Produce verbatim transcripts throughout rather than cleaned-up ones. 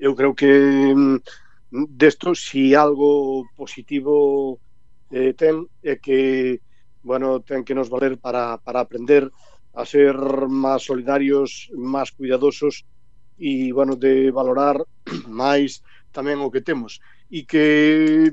eu creo que desto, si algo positivo eh, ten, é que, bueno, ten que nos valer para, para aprender a ser máis solidarios, máis cuidadosos e, bueno, de valorar máis tamén o que temos. E que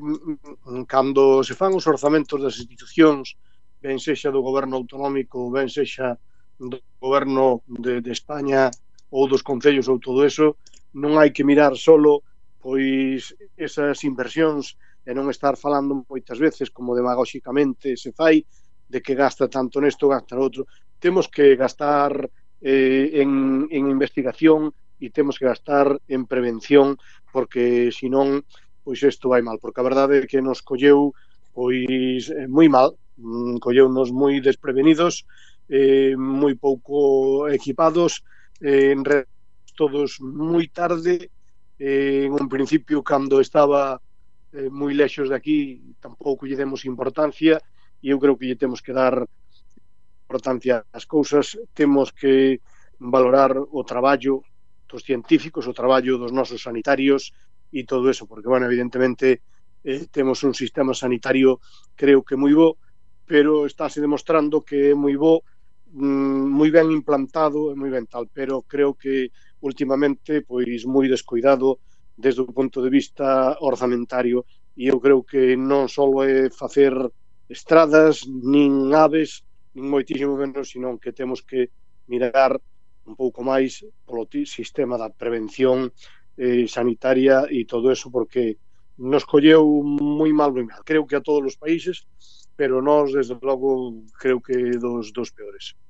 cando se fan os orzamentos das institucións, ben sexa do goberno autonómico, ben sexa do goberno de, de España ou dos concellos ou todo eso, non hai que mirar solo pois esas inversións e non estar falando moitas veces como demagóxicamente se fai de que gasta tanto nesto, gasta no outro. Temos que gastar eh, en, en investigación e temos que gastar en prevención, porque senón pois isto vai mal, porque a verdade é que nos colleu pois moi mal, colleunos moi desprevenidos, eh, moi pouco equipados, eh, en red todos moi tarde, eh, en un principio cando estaba eh, moi lexos de aquí tampouco lle demos importancia e eu creo que lle temos que dar importancia ás cousas, temos que valorar o traballo dos científicos, o traballo dos nosos sanitarios e todo eso, porque, bueno, evidentemente eh, temos un sistema sanitario creo que moi bo, pero estáse demostrando que é moi bo, mm, moi ben implantado e moi ben tal, pero creo que últimamente pois moi descuidado desde o punto de vista orzamentario e eu creo que non só é facer estradas, nin aves, nin moitísimo menos, senón que temos que mirar un pouco máis polo sistema da prevención eh, sanitaria e todo eso, porque nos colleu moi mal, moi mal. Creo que a todos os países, pero nós, desde logo, creo que dos, dos peores.